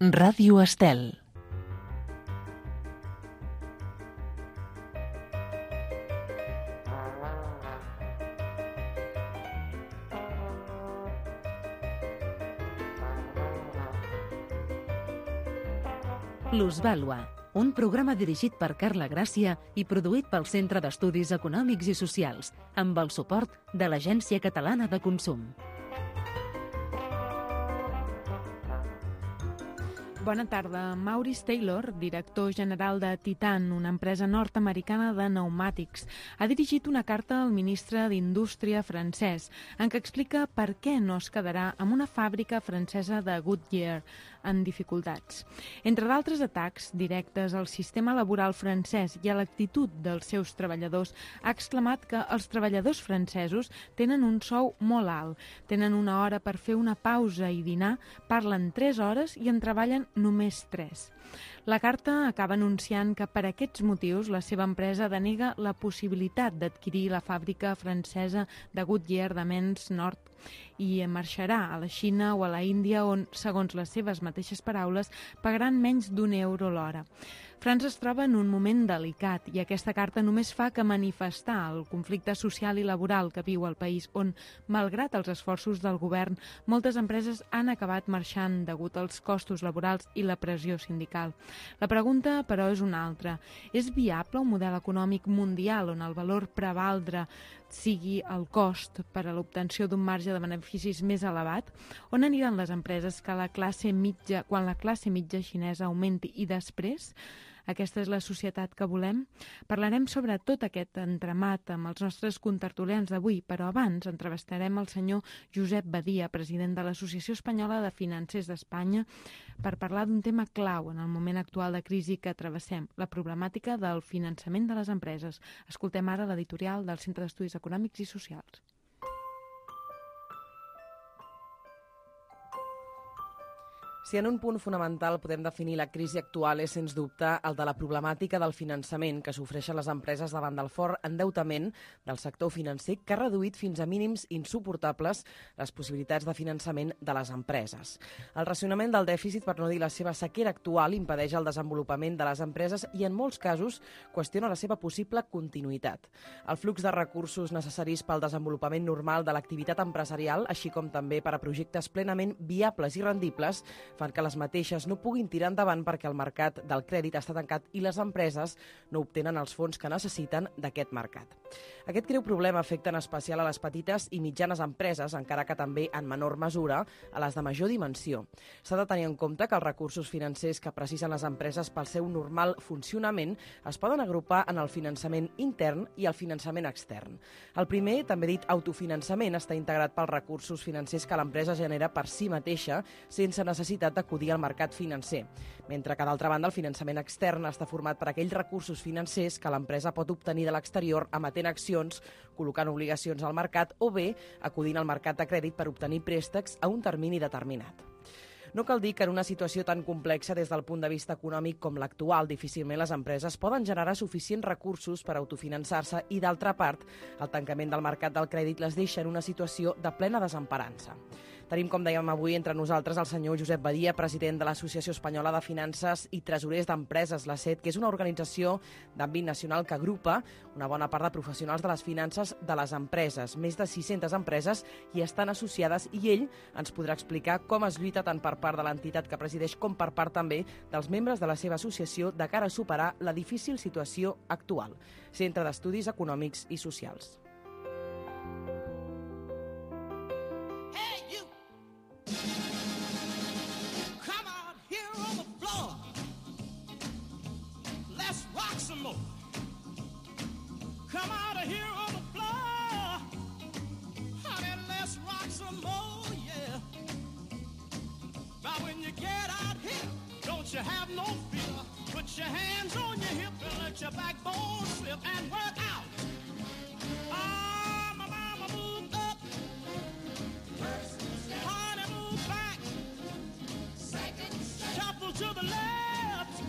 Ràdio Estel. Plusvàlua, un programa dirigit per Carla Gràcia i produït pel Centre d'Estudis Econòmics i Socials, amb el suport de l'Agència Catalana de Consum. Bona tarda. Maurice Taylor, director general de Titan, una empresa nord-americana de pneumàtics, ha dirigit una carta al ministre d'Indústria francès en què explica per què no es quedarà amb una fàbrica francesa de Goodyear en dificultats. Entre d'altres atacs directes al sistema laboral francès i a l'actitud dels seus treballadors, ha exclamat que els treballadors francesos tenen un sou molt alt, tenen una hora per fer una pausa i dinar, parlen 3 hores i en treballen només 3. La carta acaba anunciant que per aquests motius la seva empresa denega la possibilitat d'adquirir la fàbrica francesa de Goodyear de Mens Nord i marxarà a la Xina o a la Índia on, segons les seves mateixes paraules, pagaran menys d'1 euro l'hora. França es troba en un moment delicat i aquesta carta només fa que manifestar el conflicte social i laboral que viu el país on, malgrat els esforços del govern, moltes empreses han acabat marxant degut als costos laborals i la pressió sindical. La pregunta, però, és una altra. És viable un model econòmic mundial on el valor prevaldre sigui el cost per a l'obtenció d'un marge de beneficis més elevat? On aniran les empreses quan la classe mitja xinesa augmenti i després? Aquesta és la societat que volem? Parlarem sobre tot aquest entramat amb els nostres contertulians d'avui, però abans entrevistarem el senyor Josep Badia, president de l'Associació Espanyola de Financers d'Espanya, per parlar d'un tema clau en el moment actual de crisi que travessem, la problemàtica del finançament de les empreses. Escoltem ara l'editorial del Centre d'Estudis Econòmics i Socials. Si en un punt fonamental podem definir la crisi actual és, sens dubte, el de la problemàtica del finançament que sofreixen les empreses davant del fort endeutament del sector financer que ha reduït fins a mínims insuportables les possibilitats de finançament de les empreses. El racionament del dèficit, per no dir la seva sequera actual, impedeix el desenvolupament de les empreses i, en molts casos, qüestiona la seva possible continuïtat. El flux de recursos necessaris pel desenvolupament normal de l'activitat empresarial, així com també per a projectes plenament viables i rendibles, fan que les mateixes no puguin tirar endavant perquè el mercat del crèdit està tancat i les empreses no obtenen els fons que necessiten d'aquest mercat. Aquest greu problema afecta en especial a les petites i mitjanes empreses, encara que també en menor mesura a les de major dimensió. S'ha de tenir en compte que els recursos financers que precisen les empreses pel seu normal funcionament es poden agrupar en el finançament intern i el finançament extern. El primer, també dit autofinançament, està integrat pels recursos financers que l'empresa genera per si mateixa sense necessitat d'acudir al mercat financer, mentre que, d'altra banda, el finançament extern està format per aquells recursos financers que l'empresa pot obtenir de l'exterior emetent accions, col·locant obligacions al mercat o bé acudint al mercat de crèdit per obtenir préstecs a un termini determinat. No cal dir que en una situació tan complexa des del punt de vista econòmic com l'actual, difícilment les empreses poden generar suficients recursos per autofinançar-se i, d'altra part, el tancament del mercat del crèdit les deixa en una situació de plena desemparança. Tenim, com dèiem avui, entre nosaltres el senyor Josep Badia, president de l'Associació Espanyola de Finances i Tresorers d'Empreses, l'ACET, que és una organització d'àmbit nacional que agrupa una bona part de professionals de les finances de les empreses. Més de 600 empreses hi estan associades i ell ens podrà explicar com es lluita tant per part de l'entitat que presideix com per part també dels membres de la seva associació de cara a superar la difícil situació actual. Centre d'Estudis Econòmics i Socials. Come out of here on the floor, honey, let's rock some more, yeah. Now when you get out here, don't you have no fear. Put your hands on your hip and let your backbone slip and work out. Ah, my mama moved up, honey, move back, shuffle to the left,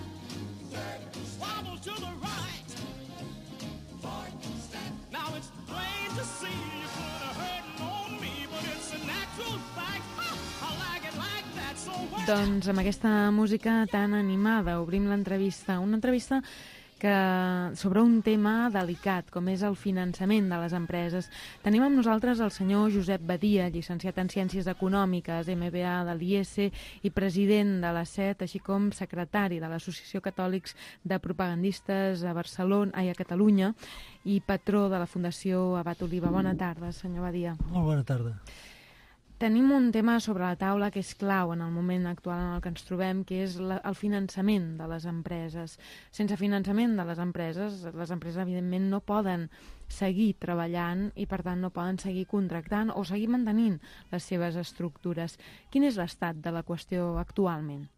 wobble to the right. Now it's plain to see you put a hurting on me, but it's a natural fact. I like it like that, so what? Doncs amb aquesta música tan animada obrim l'entrevista. Una entrevista sobre un tema delicat, com és el finançament de les empreses. Tenim amb nosaltres el senyor Josep Badia, llicenciat en Ciències Econòmiques, MBA de l'IES i president de la SET, així com secretari de l'Associació Catòlics de Propagandistes a Catalunya i patró de la Fundació Abat Oliva. Bona tarda, senyor Badia. Molt bona tarda. Tenim un tema sobre la taula que és clau en el moment actual en el que ens trobem, que és el finançament de les empreses. Sense finançament de les empreses evidentment no poden seguir treballant i per tant no poden seguir contractant o seguir mantenint les seves estructures. Quin és l'estat de la qüestió actualment?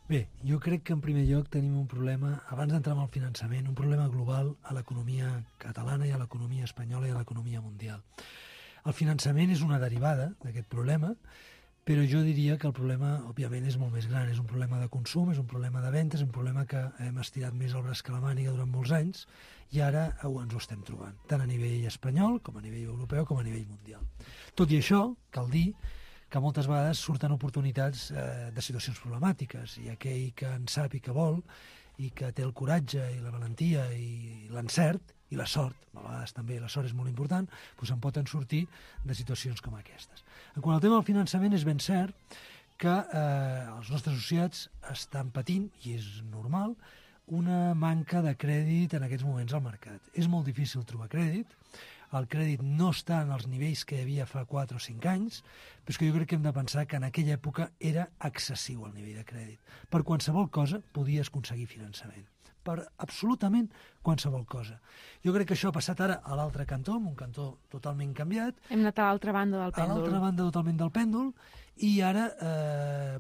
Bé, jo crec que en primer lloc tenim un problema, abans d'entrar en el finançament, un problema global a l'economia catalana i a l'economia espanyola i a l'economia mundial. El finançament és una derivada d'aquest problema, però jo diria que el problema, òbviament, és molt més gran. És un problema de consum, és un problema de ventes, és un problema que hem estirat més el braç que la màniga durant molts anys i ara ens ho estem trobant, tant a nivell espanyol, com a nivell europeu, com a nivell mundial. Tot i això, cal dir que moltes vegades surten oportunitats de situacions problemàtiques i aquell que en sap i que vol i que té el coratge i la valentia i l'encert i la sort, a vegades també la sort és molt important, doncs en poden sortir de situacions com aquestes. En quant al tema del finançament, és ben cert que els nostres associats estan patint, i és normal, una manca de crèdit en aquests moments al mercat. És molt difícil trobar crèdit, el crèdit no està en els nivells que hi havia fa 4 o 5 anys, però és que jo crec que hem de pensar que en aquella època era excessiu el nivell de crèdit. Per qualsevol cosa podies aconseguir finançament. Per absolutament qualsevol cosa. Jo crec que això ha passat ara a l'altre cantó, un cantó totalment canviat. Hem anat a l'altra banda del pèndol. A l'altra banda totalment del pèndol, i ara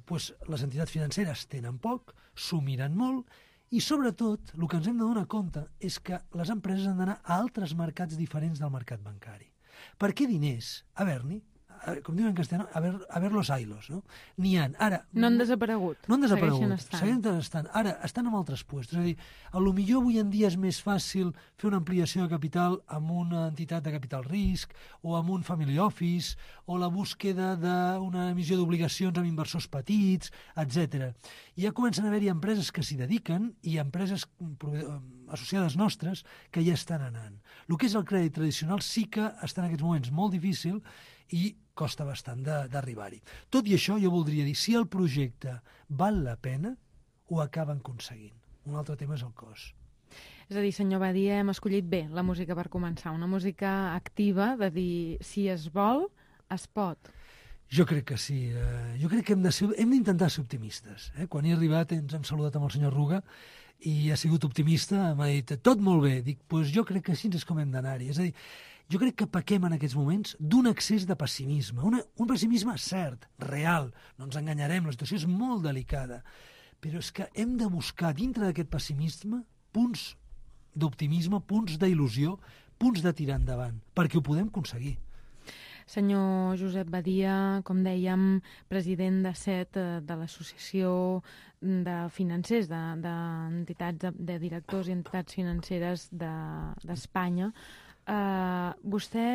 les entitats financeres tenen poc, s'ho miren molt, i sobretot el que ens hem de donar compte és que les empreses han d'anar a altres mercats diferents del mercat bancari. Per què diners? Haver-n'hi, com diuen en castellà, haver los ailos, no? N'hi ha. Ara, no han desaparegut. No han desaparegut. Segueixen estant. Ara estan en altres puestos. És a dir, potser avui en dia és més fàcil fer una ampliació de capital amb una entitat de capital risc o amb un family office o la búsqueda d'una emissió d'obligacions amb inversors petits, etc. I ja comencen a haver-hi empreses que s'hi dediquen i empreses associades nostres que ja estan anant. El que és el crèdit tradicional sí que està en aquests moments molt difícil i costa bastant d'arribar-hi. Tot i això, jo voldria dir, si el projecte val la pena, ho acaben aconseguint. Un altre tema és el cost. És a dir, senyor Badia, hem escollit bé la música per començar, una música activa de dir, si es vol, es pot. Jo crec que sí. Jo crec que hem d'intentar ser optimistes. Quan he arribat ens hem saludat amb el senyor Ruga i ha sigut optimista, m'ha dit, tot molt bé. Dic, doncs jo crec que així és com hem d'anar-hi. És a dir, jo crec que pequem en aquests moments d'un excés de pessimisme, un pessimisme cert, real, no ens enganyarem, la situació és molt delicada, però és que hem de buscar dintre d'aquest pessimisme punts d'optimisme, punts d'il·lusió, punts de tirar endavant, perquè ho podem aconseguir. Senyor Josep Badia, com dèiem, president de SET, de l'Associació de Financers, d'entitats, de directors i entitats financeres d'Espanya, vostè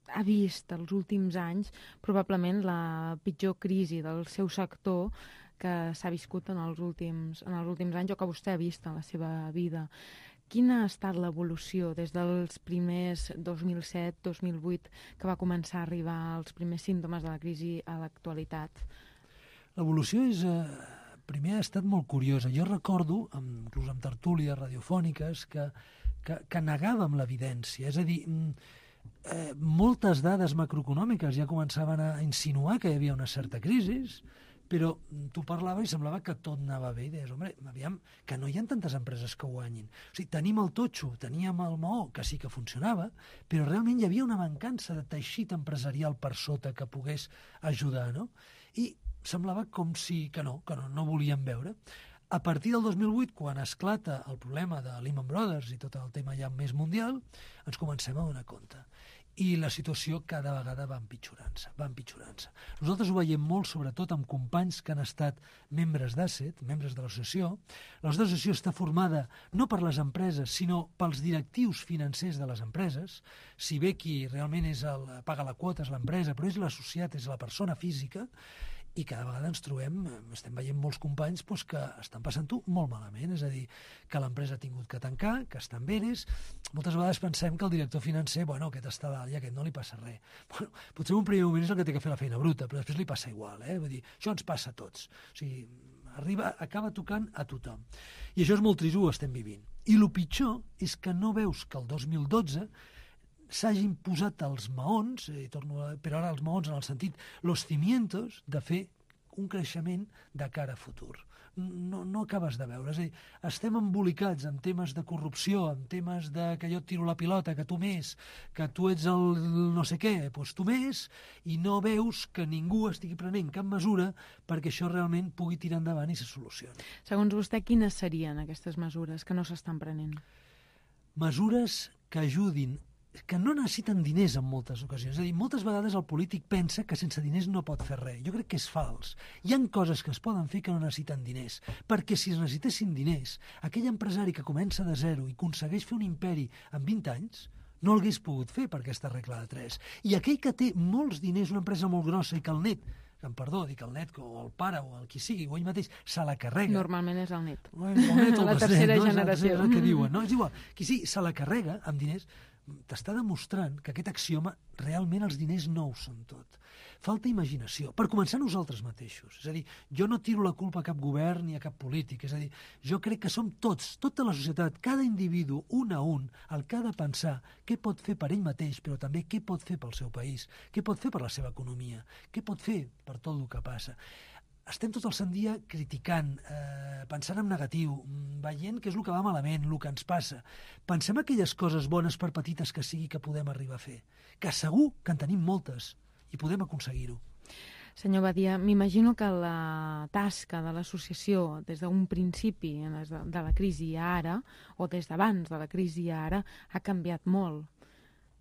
ha vist els últims anys probablement la pitjor crisi del seu sector que s'ha viscut en els últims anys o que vostè ha vist en la seva vida. Quina ha estat l'evolució des dels primers 2007-2008 que va començar a arribar els primers símptomes de la crisi a l'actualitat? L'evolució primer ha estat molt curiosa. Jo recordo, inclús amb tertúlies radiofòniques, que negàvem l'evidència. És a dir, moltes dades macroeconòmiques ja començaven a insinuar que hi havia una certa crisi, però tu parlava i semblava que tot anava bé i deies, home, aviam, que no hi ha tantes empreses que guanyin. O sigui, tenim el totxo, teníem el maó, que sí que funcionava, però realment hi havia una mancança de teixit empresarial per sota que pogués ajudar, no? I semblava com si que no volíem veure. A partir del 2008, quan esclata el problema de Lehman Brothers i tot el tema ja més mundial, ens comencem a donar compte. I la situació cada vegada va empitjorant-se. Nosaltres ho veiem molt, sobretot amb companys que han estat membres d'Asset, membres de l'associació. La nostra associació està formada no per les empreses, sinó pels directius financers de les empreses. Si bé qui realment paga la quota és l'empresa, però és l'associat, és la persona física. I cada vegada ens trobem, estem veient molts companys que estan passant-ho molt malament, és a dir, que l'empresa ha tingut que tancar, que està en veres. Moltes vegades pensem que el director financer, aquest està dalt i aquest no li passa res. Potser en un primer moment és el que té que fer la feina bruta, però després li passa igual, Vull dir, això ens passa a tots. O sigui, acaba tocant a tothom. I això és molt trist, ho estem vivint. I el pitjor és que no veus que el 2012 s'hagin posat els maons, però ara els maons en el sentit, los cimientos, de fer un creixement de cara a futur. No acabes de veure. És a dir, estem embolicats en temes de corrupció, en temes de que jo et tiro la pilota, que tu més, que tu ets el no sé què, doncs tu més, i no veus que ningú estigui prenent cap mesura perquè això realment pugui tirar endavant i se solucioni. Segons vostè, quines serien aquestes mesures que no s'estan prenent? Mesures que ajudin, que no necessiten diners en moltes ocasions. És a dir, moltes vegades el polític pensa que sense diners no pot fer res. Jo crec que és fals. Hi ha coses que es poden fer que no necessiten diners, perquè si es necessitessin diners, aquell empresari que comença de zero i aconsegueix fer un imperi en 20 anys, no l'hagués pogut fer per aquesta regla de 3. I aquell que té molts diners, una empresa molt grossa, i que el net, dic el net, o el pare, o el qui sigui, o ell mateix, se la carrega. Normalment és el net. La tercera generació. És el que diuen, no? És igual. Qui sigui, se la carrega amb diners, t'està demostrant que aquest axioma realment els diners no ho són tot. Falta imaginació. Per començar, nosaltres mateixos. És a dir, jo no tiro la culpa a cap govern ni a cap polític. És a dir, jo crec que som tots, tota la societat, cada individu, un a un, el que ha de pensar què pot fer per ell mateix, però també què pot fer pel seu país, què pot fer per la seva economia, què pot fer per tot el que passa. Estem tot el sant dia criticant, pensant en negatiu, veient què és el que va malament, el que ens passa. Pensem aquelles coses bones, per petites que sigui, que podem arribar a fer. Que segur que en tenim moltes i podem aconseguir-ho. Senyor Badia, m'imagino que la tasca de l'associació des d'un principi de la crisi a ara, o des d'abans de la crisi a ara, ha canviat molt,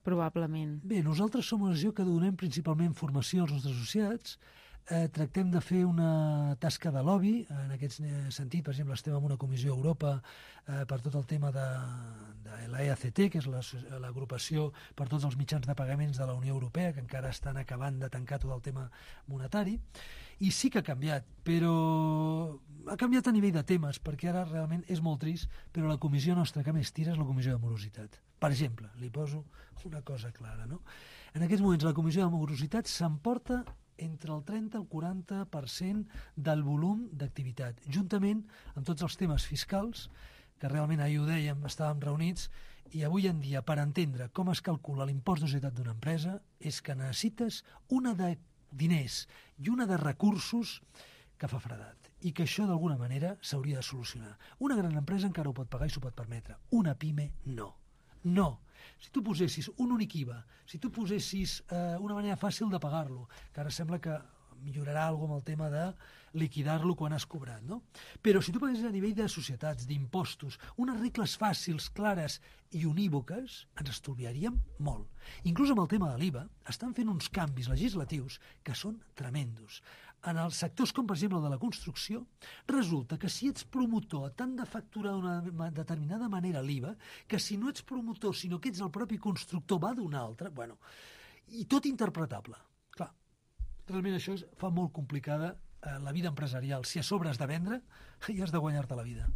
probablement. Bé, nosaltres som una associació que donem principalment formació als nostres associats. Tractem de fer una tasca de lobby, en aquest sentit, per exemple, estem en una comissió a Europa per tot el tema de l'EACT, que és l'agrupació per tots els mitjans de pagaments de la Unió Europea, que encara estan acabant de tancar tot el tema monetari, i sí que ha canviat, però ha canviat a nivell de temes, perquè ara realment és molt trist, però la comissió nostra que més tira és la comissió de morositat. Per exemple, li poso una cosa clara, no? En aquests moments la comissió de morositat s'emporta entre el 30 i el 40% del volum d'activitat, juntament amb tots els temes fiscals, que realment ahir ho dèiem, estàvem reunits, i avui en dia, per entendre com es calcula l'impost de societat d'una empresa, és que necessites una de diners i una de recursos que fa fredat, i que això d'alguna manera s'hauria de solucionar. Una gran empresa encara ho pot pagar i s'ho pot permetre, una pime no. No. Si tu posessis un únic IVA, si tu posessis una manera fàcil de pagar-lo, que ara sembla que millorarà alguna cosa amb el tema de liquidar-lo quan has cobrat, no? Però si tu paguessis a nivell de societats, d'impostos, unes regles fàcils, clares i unívoques, ens estalviaríem molt. Inclús amb el tema de l'IVA, estan fent uns canvis legislatius que són tremendos. En els sectors com, per exemple, el de la construcció, resulta que si ets promotor t'han de facturar d'una determinada manera l'IVA, que si no ets promotor, sinó que ets el propi constructor, va d'una altra, bueno, i tot interpretable. Clar, realment això fa molt complicada la vida empresarial. Si a sobre has de vendre, ja has de guanyar-te la vida.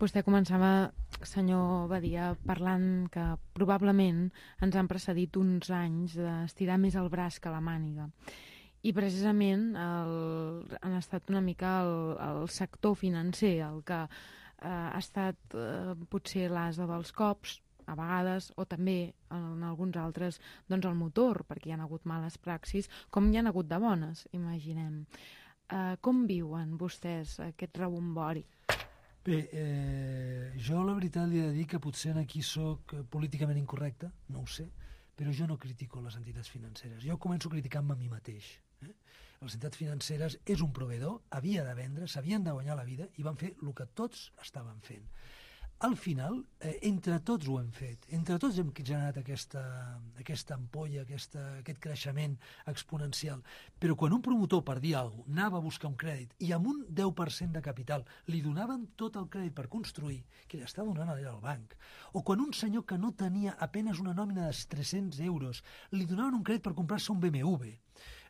Vostè començava, senyor Badia, parlant que probablement ens han precedit uns anys d'estirar més el braç que la màniga. I precisament han estat una mica el sector financer el que ha estat potser l'ase dels cops, a vegades, o també en alguns altres doncs el motor, perquè hi ha hagut males praxis, com hi ha hagut de bones, imaginem. Com viuen vostès aquest rebombori? Bé, jo la veritat li he de dir que potser aquí soc políticament incorrecte, no ho sé, però jo no critico les entitats financeres. Jo començo criticant-me a mi mateix. Les entitats financeres és un proveïdor, havia de vendre, s'havien de guanyar la vida i van fer el que tots estaven fent. Al final, entre tots ho hem fet, entre tots hem generat aquesta ampolla, aquest creixement exponencial. Però quan un promotor, per dir alguna cosa, anava a buscar un crèdit i amb un 10% de capital li donaven tot el crèdit per construir, que li està donant al banc, o quan un senyor que no tenia apenas una nòmina de 300 euros li donaven un crèdit per comprar-se un BMW,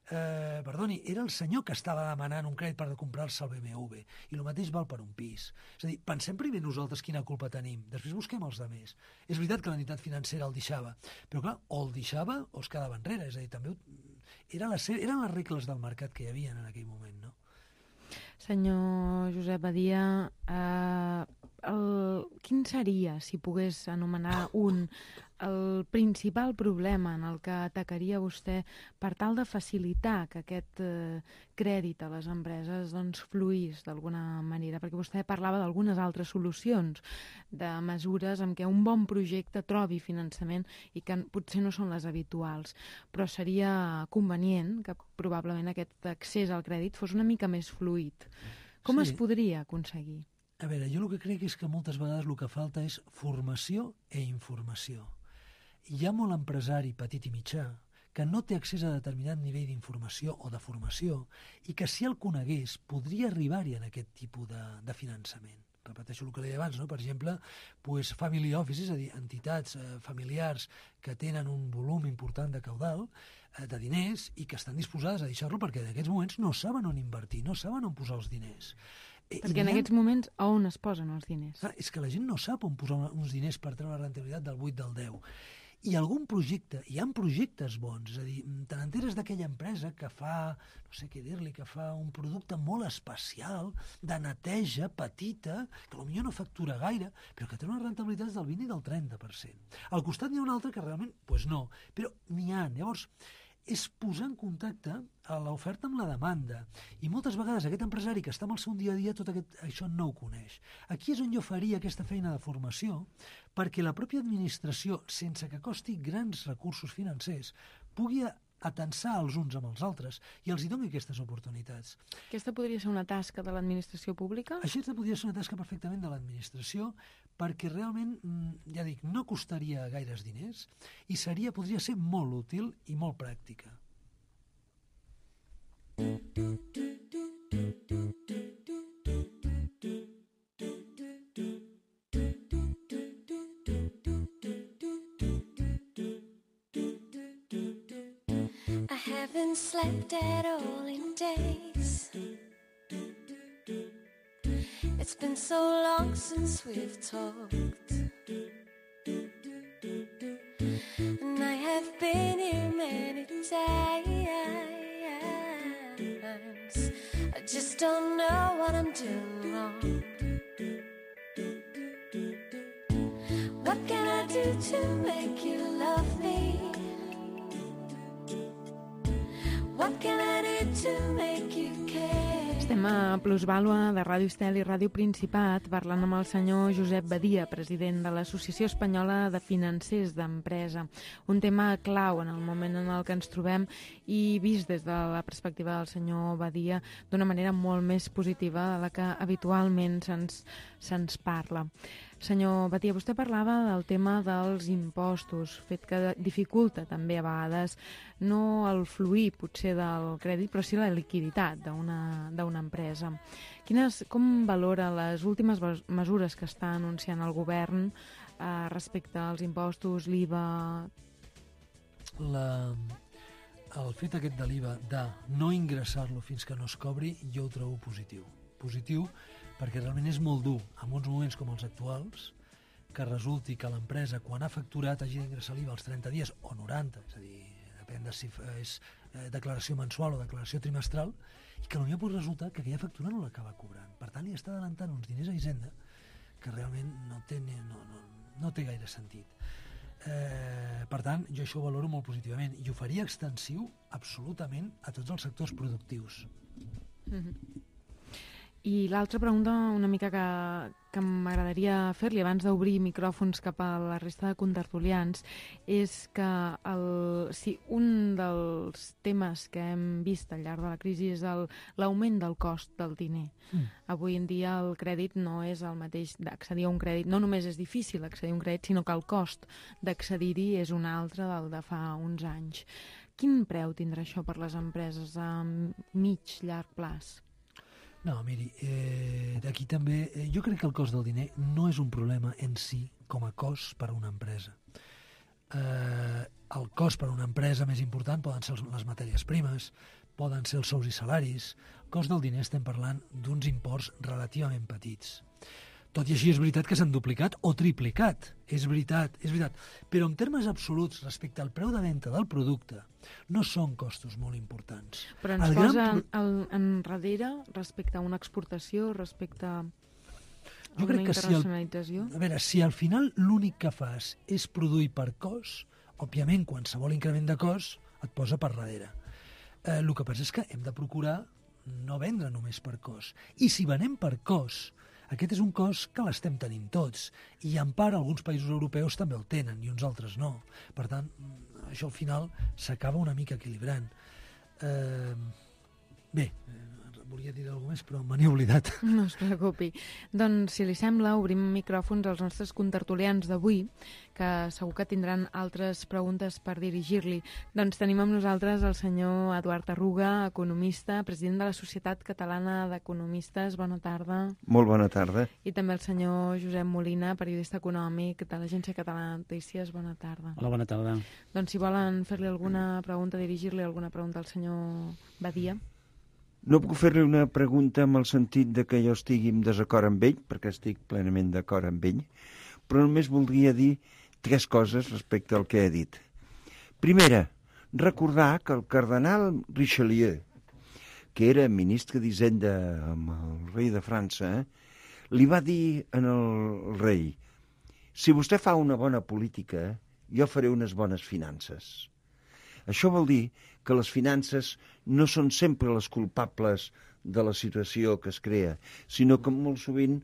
perdoni, era el senyor que estava demanant un crèdit per comprar-se el BMW, i el mateix val per un pis. És a dir, pensem primer nosaltres quina culpa tenim, després busquem els altres. És veritat que l'entitat financera el deixava, però clar, o el deixava o es quedava enrere, és a dir, també eren les regles del mercat que hi havia en aquell moment, no? Senyor Josep Badia, quin seria, si pogués anomenar el principal problema en el que atacaria vostè per tal de facilitar que aquest crèdit a les empreses doncs, fluís d'alguna manera? Perquè vostè parlava d'algunes altres solucions, de mesures en què un bon projecte trobi finançament i que potser no són les habituals, però seria convenient que probablement aquest accés al crèdit fos una mica més fluid. Com es podria aconseguir? A veure, jo el que crec és que moltes vegades el que falta és formació i informació. Hi ha molt empresari petit i mitjà que no té accés a determinat nivell d'informació o de formació i que si el conegués podria arribar-hi en aquest tipus de finançament. Repeteixo el que deia abans, no? Per exemple, family office, és a dir, entitats familiars que tenen un volum important de caudal, de diners, i que estan disposades a deixar-lo perquè en aquests moments no saben on invertir, no saben on posar els diners. Perquè en aquests moments on es posen els diners? És que la gent no sap on posar uns diners per treure la rentabilitat del 8 del 10. I algun projecte, hi ha projectes bons, és a dir, te n'enteres d'aquella empresa que fa, no sé què dir-li, que fa un producte molt especial, de neteja, petita, que potser no factura gaire, però que té unes rentabilitats del 20 i del 30%. Al costat n'hi ha un altre que realment, doncs no, però n'hi ha. Llavors, és posar en contacte a l'oferta amb la demanda. I moltes vegades aquest empresari que està amb el seu dia a dia tot això no ho coneix. Aquí és on jo faria aquesta feina de formació perquè la pròpia administració, sense que costi grans recursos financers, pugui atensar els uns amb els altres i els hi doni aquestes oportunitats. Aquesta podria ser una tasca de l'administració pública? Això podria ser una tasca perfectament de l'administració perquè realment, ja dic, no costaria gaires diners i podria ser molt útil i molt pràctica. I haven't slept at all in days. It's been so long since we've talked. And I have been here many times. I just don't know what I'm doing wrong. What can I do to make you love me? What can I do to make you care? Estem a Plusvàlua de Ràdio Estel i Ràdio Principat parlant amb el senyor Josep Badia, president de l'Associació Espanyola de Financers d'Empresa. Un tema clau en el moment en el que ens trobem i vist des de la perspectiva del senyor Badia d'una manera molt més positiva de la que habitualment se'ns parla. Senyor Badia, vostè parlava del tema dels impostos, fet que dificulta també a vegades no el fluir potser del crèdit, però sí la liquiditat d'una empresa. Com valora les últimes mesures que està anunciant el govern respecte als impostos, l'IVA? El fet aquest de l'IVA, de no ingressar-lo fins que no es cobri, jo ho trobo positiu. Positiu perquè realment és molt dur, en uns moments com els actuals, que resulti que l'empresa, quan ha facturat, hagi d'ingressar l'IVA als 30 dies o 90, és a dir, depèn de si és declaració mensual o declaració trimestral, i que potser pot resultar que aquella factura no l'acaba cobrant. Per tant, li està adelantant uns diners a Hisenda que realment no té gaire sentit. Per tant, jo això ho valoro molt positivament i ho faria extensiu absolutament a tots els sectors productius. I l'altra pregunta una mica que m'agradaria fer-li abans d'obrir micròfons cap a la resta de contertulians és que si un dels temes que hem vist al llarg de la crisi és l'augment del cost del diner. Avui en dia el crèdit no és el mateix d'accedir a un crèdit. No només és difícil accedir a un crèdit, sinó que el cost d'accedir-hi és un altre del de fa uns anys. Quin preu tindrà això per les empreses a mig, llarg plaç? No, miri, aquí també, jo crec que el cost del diner no és un problema en si com a cost per a una empresa. El cost per a una empresa més important poden ser les matèries primes, poden ser els sous i salaris. El cost del diner estem parlant d'uns imports relativament petits. Tot i així és veritat que s'han duplicat o triplicat. És veritat. Però en termes absoluts, respecte al preu de venda del producte, no són costos molt importants. Però ens posa enrere respecte a una exportació, respecte a una internacionalització? A veure, si al final l'únic que fas és produir per cost, òbviament qualsevol increment de cost et posa per darrere. El que passa és que hem de procurar no vendre només per cost. I si venem per cost, aquest és un cost que l'estem tenint tots, i en part alguns països europeus també el tenen i uns altres no. Per tant, això al final s'acaba una mica equilibrant. Volia dir alguna més, però me n'he oblidat. No es preocupi. Doncs, si li sembla, obrim micròfons als nostres contertulians d'avui, que segur que tindran altres preguntes per dirigir-li. Doncs tenim amb nosaltres el senyor Eduard Arruga, economista, president de la Societat Catalana d'Economistes. Bona tarda. Molt bona tarda. I també el senyor Josep Molina, periodista econòmic de l'Agència Catalana de Notícies. Bona tarda. Hola, bona tarda. Doncs si volen fer-li alguna pregunta, dirigir-li alguna pregunta al senyor Badia. No puc fer-li una pregunta amb el sentit de que jo estigui en desacord amb ell, perquè estic plenament d'acord amb ell, però només voldria dir 3 coses respecte al que he dit. Primera, recordar que el cardenal Richelieu, que era ministre d'Hisenda amb el rei de França, li va dir al rei: si vostè fa una bona política, jo faré unes bones finances. Això vol dir que les finances no són sempre les culpables de la situació que es crea, sinó que molt sovint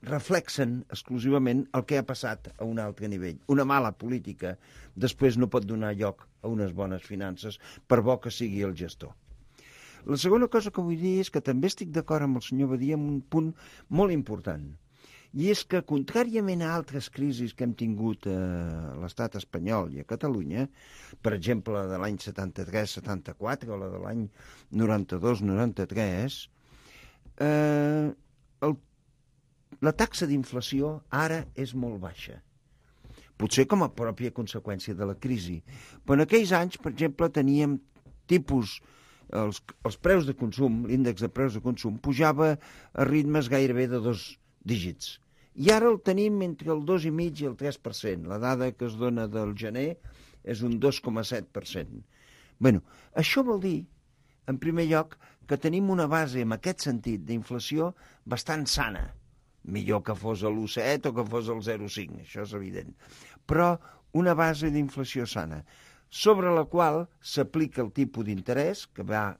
reflexen exclusivament el que ha passat a un altre nivell. Una mala política després no pot donar lloc a unes bones finances, per bo que sigui el gestor. La segona cosa que vull dir és que també estic d'acord amb el senyor Badia en un punt molt important, i és que, contràriament a altres crisis que hem tingut a l'estat espanyol i a Catalunya, per exemple, la de l'any 73-74 o la de l'any 92-93, la taxa d'inflació ara és molt baixa. Potser com a pròpia conseqüència de la crisi. Però en aquells anys, per exemple, teníem tipus... Els preus de consum, l'índex de preus de consum, pujava a ritmes gairebé de 2 dígits. I ara el tenim entre el 2,5 i el 3%. La dada que es dona del gener és un 2,7%. Bé, això vol dir, en primer lloc, que tenim una base, en aquest sentit, d'inflació bastant sana. Millor que fos l'1,7 o que fos el 0,5, això és evident. Però una base d'inflació sana, sobre la qual s'aplica el tipus d'interès, que va,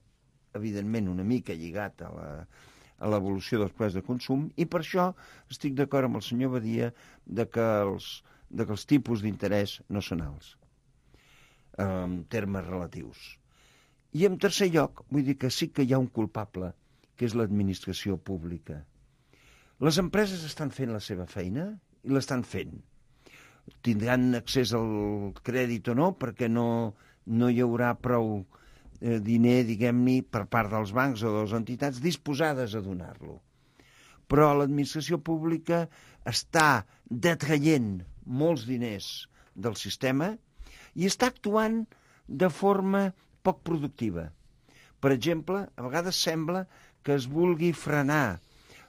evidentment, una mica lligat a l'evolució dels preus de consum, i per això estic d'acord amb el senyor Badia de que els tipus d'interès no són alts, en termes relatius. I en tercer lloc, vull dir que sí que hi ha un culpable, que és l'administració pública. Les empreses estan fent la seva feina i l'estan fent. Tindran accés al crèdit o no, perquè no hi haurà prou diner, diguem-ne, per part dels bancs o de les entitats disposades a donar-lo. Però l'administració pública està detraient molts diners del sistema i està actuant de forma poc productiva. Per exemple, a vegades sembla que es vulgui frenar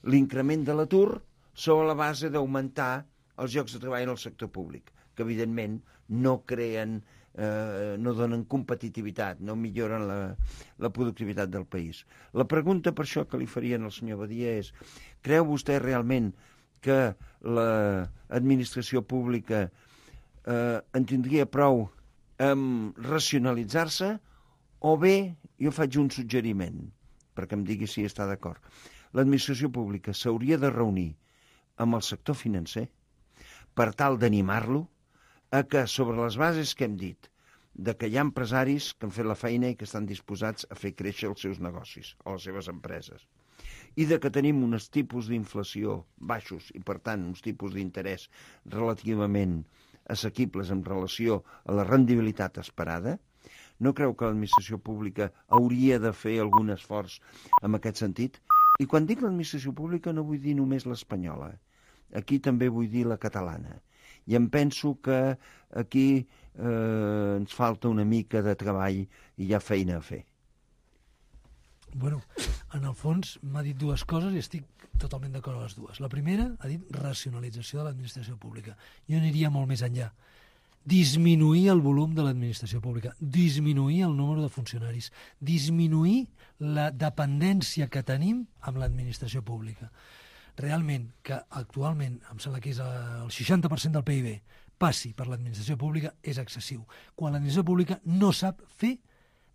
l'increment de l'atur sobre la base d'augmentar els llocs de treball en el sector públic, que evidentment no creen, no donen competitivitat, no milloren la productivitat del país. La pregunta per això que li farien al senyor Badia és: creu vostè realment que l'administració pública en tindria prou amb racionalitzar-se, o bé jo faig un suggeriment, perquè em digui si està d'acord. L'administració pública s'hauria de reunir amb el sector financer per tal d'animar-lo a que, sobre les bases que hem dit, de que hi ha empresaris que han fet la feina i que estan disposats a fer créixer els seus negocis o les seves empreses, i de que tenim uns tipus d'inflació baixos i, per tant, uns tipus d'interès relativament assequibles en relació a la rendibilitat esperada, no creu que l'administració pública hauria de fer algun esforç en aquest sentit? I quan dic l'administració pública no vull dir només l'espanyola. Aquí també vull dir la catalana. I em penso que aquí ens falta una mica de treball i hi ha feina a fer. Bueno, en el fons m'ha dit dues coses i estic totalment d'acord amb les dues. La primera ha dit racionalització de l'administració pública. Jo aniria molt més enllà. Disminuir el volum de l'administració pública, disminuir el número de funcionaris, disminuir la dependència que tenim amb l'administració pública. Realment, que actualment, em sembla que és el 60% del PIB, passi per l'administració pública, és excessiu. Quan l'administració pública no sap fer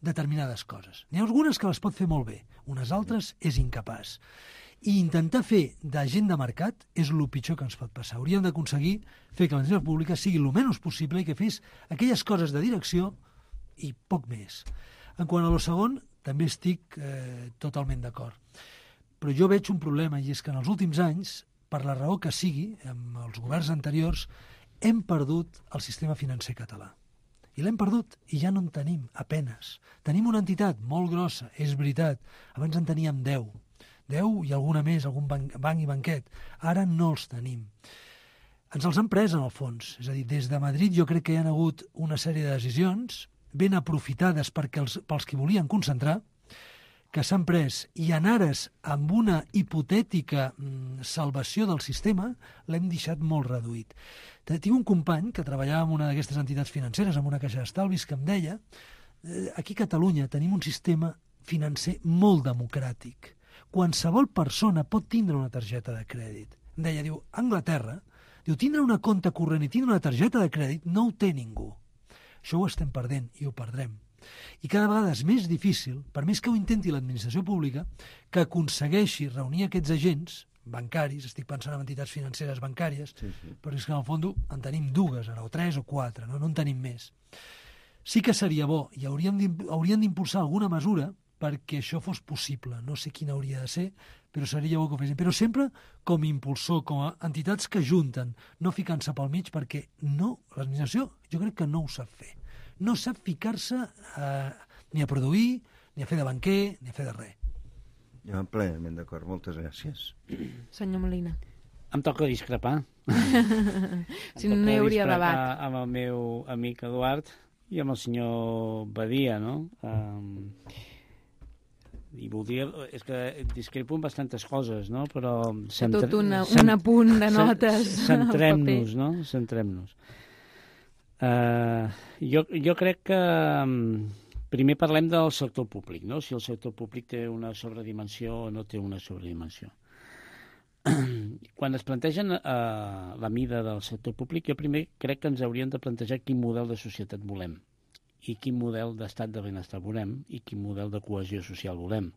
determinades coses. N'hi ha algunes que les pot fer molt bé, unes altres és incapaç. I intentar fer d'agent de mercat és el pitjor que ens pot passar. Hauríem d'aconseguir fer que l'administració pública sigui el menys possible i que fes aquelles coses de direcció i poc més. En quant a lo segon, també estic totalment d'acord. Però jo veig un problema, i és que en els últims anys, per la raó que sigui, amb els governs anteriors, hem perdut el sistema financer català. I l'hem perdut, i ja no en tenim, apenes. Tenim una entitat molt grossa, és veritat. Abans en teníem 10 i alguna més, algun banc i banquet. Ara no els tenim. Ens els han pres, en el fons. És a dir, des de Madrid jo crec que hi ha hagut una sèrie de decisions ben aprofitades pels que volien concentrar, que s'han pres, i en ares amb una hipotètica salvació del sistema, l'hem deixat molt reduït. Tinc un company que treballava en una d'aquestes entitats financeres, en una caixa d'estalvis, que em deia aquí a Catalunya tenim un sistema financer molt democràtic. Qualsevol persona pot tindre una targeta de crèdit. Em deia, diu, a Anglaterra, diu, tindre una compte corrent i tindre una targeta de crèdit no ho té ningú. Això ho estem perdent i ho perdrem. I cada vegada és més difícil, per més que ho intenti l'administració pública, que aconsegueixi reunir aquests agents bancaris, estic pensant en entitats financeres bancàries, sí. Però és que en el fons en tenim dues, o 3 o 4, no en tenim més. Sí que seria bo, i haurien d'impulsar alguna mesura perquè això fos possible. No sé quina hauria de ser, però seria bo que ho fessin. Però sempre com a impulsor, com a entitats que junten, no ficant-se pel mig, perquè l'administració jo crec que no ho sap fer. No sap ficar-se ni a produir, ni a fer de banquer, ni a fer de res. Jo plenament d'acord, moltes gràcies. Senyor Molina. Em toca discrepar. Si no hi hauria debat. Amb el meu amic Eduard i amb el senyor Badia, no? I voldria... És que discrepo en bastantes coses, no? Però... Tot un apunt de notes. Centrem-nos, no? Centrem-nos. Jo crec que primer parlem del sector públic, no? Si el sector públic té una sobredimensió o no té una sobredimensió. Quan es plantegen la mida del sector públic, jo primer crec que ens hauríem de plantejar quin model de societat volem i quin model d'estat de benestar volem i quin model de cohesió social volem.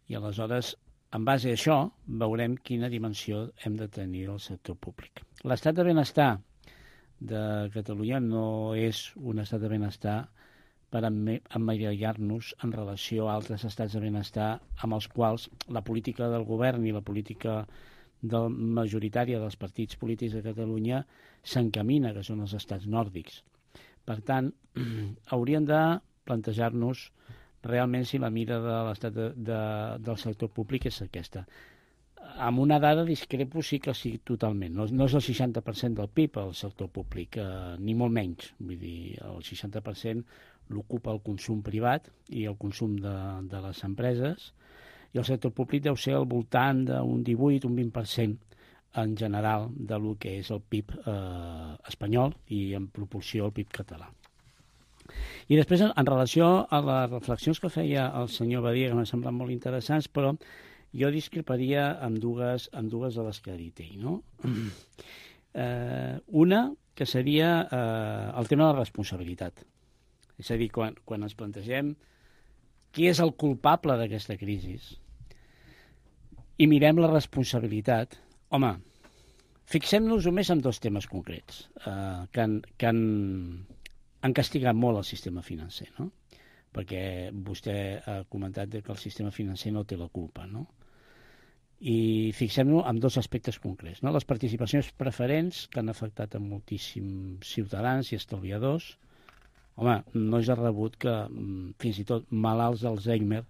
I aleshores, en base a això, veurem quina dimensió hem de tenir el sector públic. L'estat de benestar de Catalunya no és un estat de benestar per emmirallar-nos en relació a altres estats de benestar amb els quals la política del govern i la política majoritària dels partits polítics de Catalunya s'encamina, que són els estats nòrdics. Per tant, hauríem de plantejar-nos realment si la mida de l'estat del sector públic és aquesta. Amb una dada discrepo sí que sí totalment. No és el 60% del PIB el sector públic, ni molt menys. Vull dir, el 60% l'ocupa el consum privat i el consum de les empreses, i el sector públic deu ser al voltant d'un 18, un 20% en general de lo que és el PIB espanyol i en proporció al PIB català. I després, en relació a les reflexions que feia el senyor Badia, que m'han semblat molt interessants, però jo discreparia amb dues de les que ha dit ell, no? Una, que seria el tema de la responsabilitat. És a dir, quan ens plantegem qui és el culpable d'aquesta crisi i mirem la responsabilitat, home, fixem-nos només en dos temes concrets que han castigat molt el sistema financer, no? Perquè vostè ha comentat que el sistema financer no té la culpa, no? I fixem-nos en dos aspectes concrets, no? Les participacions preferents que han afectat a moltíssims ciutadans i estalviadors. Home, no és de rebut que fins i tot malalts d'Alzheimer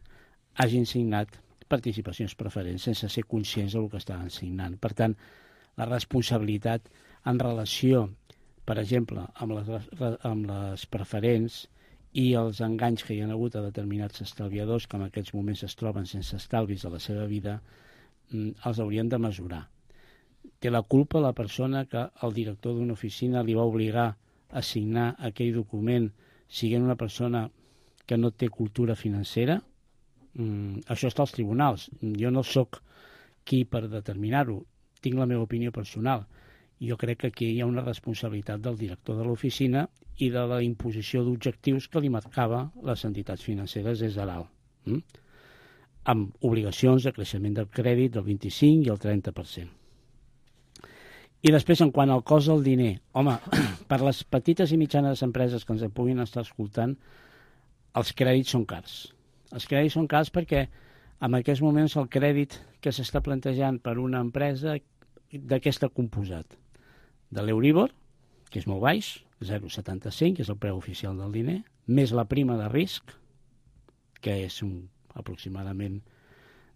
hagin signat participacions preferents sense ser conscients del que estaven signant. Per tant, la responsabilitat en relació, per exemple, amb les preferents i els enganys que hi ha hagut a determinats estalviadors que en aquests moments es troben sense estalvis a la seva vida, els haurien de mesurar. Té la culpa la persona que el director d'una oficina li va obligar a signar aquell document siguent una persona que no té cultura financera? Això està als tribunals. Jo no sóc qui per determinar-ho. Tinc la meva opinió personal. Jo crec que aquí hi ha una responsabilitat del director de l'oficina i de la imposició d'objectius que li marcava les entitats financeres des de dalt, amb obligacions de creixement del crèdit del 25 i el 30%. I després, en quant al cost del diner, home, per les petites i mitjanes empreses que ens puguin estar escoltant, els crèdits són cars. Els crèdits són cars perquè en aquests moments el crèdit que s'està plantejant per una empresa, de què està composat? De l'Euribor, que és molt baix, 0,75, que és el preu oficial del diner, més la prima de risc, que és aproximadament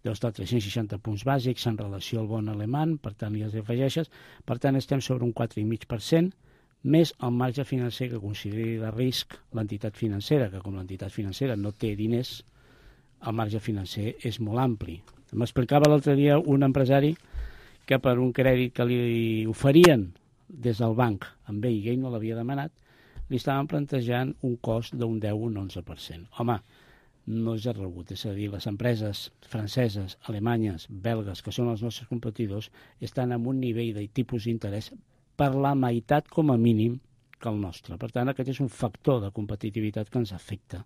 deu estar 360 punts bàsics en relació al bon alemany, per tant li afegeixes, per tant estem sobre un 4,5%, més el marge financer que consideri de risc l'entitat financera, que com l'entitat financera no té diners, el marge financer és molt ampli. M'explicava l'altre dia un empresari que per un crèdit que li oferien des del banc amb ell, i ell no l'havia demanat, li estaven plantejant un cost d'un 10 o un 11%. Home, no és de rebut, és a dir, les empreses franceses, alemanyes, belgues, que són els nostres competidors, estan en un nivell de tipus d'interès per la meitat com a mínim que el nostre. Per tant, aquest és un factor de competitivitat que ens afecta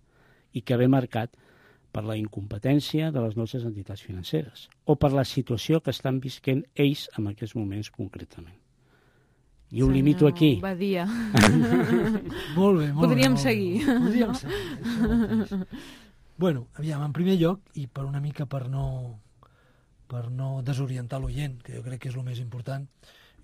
i que ve marcat per la incompetència de les nostres entitats financeres o per la situació que estan visquent ells en aquests moments concretament. I ho limito aquí. Badia. Molt bé, molt Podríem bé. seguir. Podríem seguir. Bueno, aviam, en primer lloc, i per una mica per no desorientar l'oient, que jo crec que és el més important,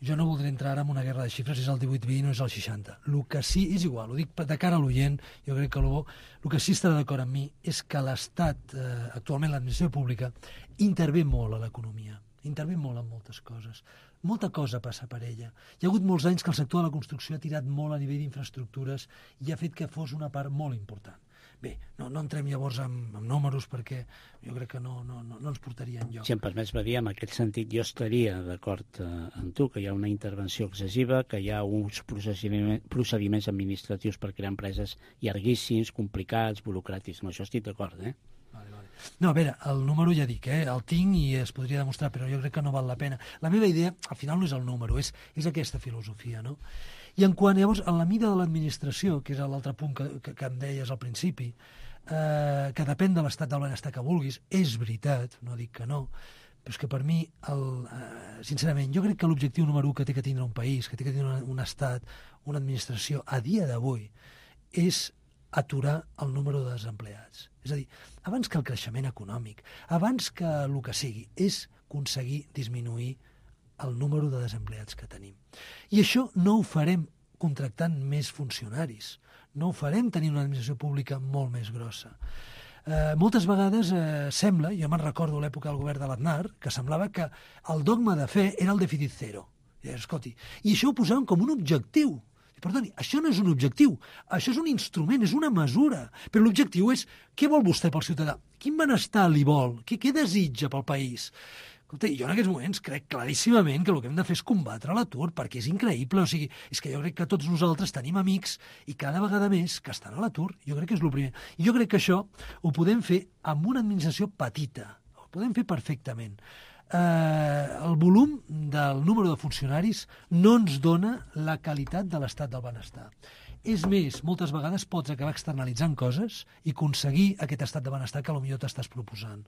jo no voldré entrar ara en una guerra de xifres, si és el 18-20 o és el 60. El que sí, és igual, ho dic de cara a l'oient, jo crec que el que sí estarà d'acord amb mi és que l'Estat, actualment l'administració pública, intervé molt a l'economia, intervé molt en moltes coses. Molta cosa passa per ella. Hi ha hagut molts anys que el sector de la construcció ha tirat molt a nivell d'infraestructures i ha fet que fos una part molt important. Bé, no entrem llavors amb números perquè jo crec que no ens portaria enlloc. Si em permets, Badia, en aquest sentit jo estaria d'acord amb tu, que hi ha una intervenció excessiva, que hi ha uns procediments administratius per crear empreses llarguíssims, complicats, burocràtics. Amb això estic d'acord, Vale. No, a veure, el número ja dic, el tinc i es podria demostrar, però jo crec que no val la pena. La meva idea, al final, no és el número, és aquesta filosofia, no? I en quant, llavors, a la mida de l'administració, que és l'altre punt que em deies al principi, que depèn de l'estat del benestar que vulguis, és veritat, no dic que no, però és que per mi, sincerament, jo crec que l'objectiu número 1 que té que tindre un país, que té que tindre un estat, una administració, a dia d'avui, és aturar el número de desempleats. És a dir, abans que el creixement econòmic, abans que el que sigui, és aconseguir disminuir el número de desempleats que tenim. I això no ho farem contractant més funcionaris, no ho farem tenint una administració pública molt més grossa. Moltes vegades sembla, jo me'n recordo l'època del govern de l'Aznar, que semblava que el dogma de fe era el dèficit zero. I escolti, i això ho posaven com un objectiu. Perdoni, això no és un objectiu, això és un instrument, és una mesura. Però l'objectiu és, què vol vostè pel ciutadà? Quin benestar li vol? Què desitja pel país? Escolta, jo en aquests moments crec claríssimament que el que hem de fer és combatre l'atur, perquè és increïble. O sigui, és que jo crec que tots nosaltres tenim amics i cada vegada més que estan a l'atur. Jo crec que és el primer. I jo crec que això ho podem fer amb una administració petita. Ho podem fer perfectament. El volum del número de funcionaris no ens dona la qualitat de l'estat del benestar. És més, moltes vegades pots acabar externalitzant coses i aconseguir aquest estat de benestar que potser t'estàs proposant.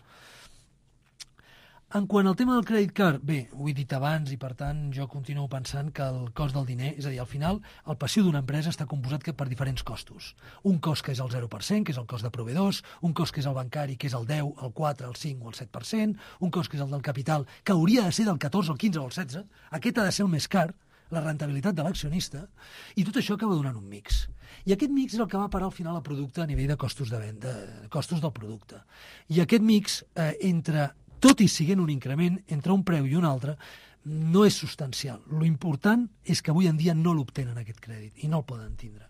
En quant al tema del crèdit card, bé, ho he dit abans i per tant jo continuo pensant que el cost del diner, és a dir, al final el passiu d'una empresa està composat per diferents costos. Un cost que és el 0%, que és el cost de proveïdors, un cost que és el bancari, que és el 10, el 4, el 5 o el 7%, un cost que és el del capital, que hauria de ser del 14, el 15 o el 16, aquest ha de ser el més car, la rendibilitat de l'accionista, i tot això acaba donant un mix. I aquest mix és el que va parar al final el producte a nivell de costos de venda, costos del producte. I aquest mix, tot i siguent un increment entre un preu i un altre, no és substancial. Lo important és que avui en dia no l'obtenen aquest crèdit i no el poden tindre.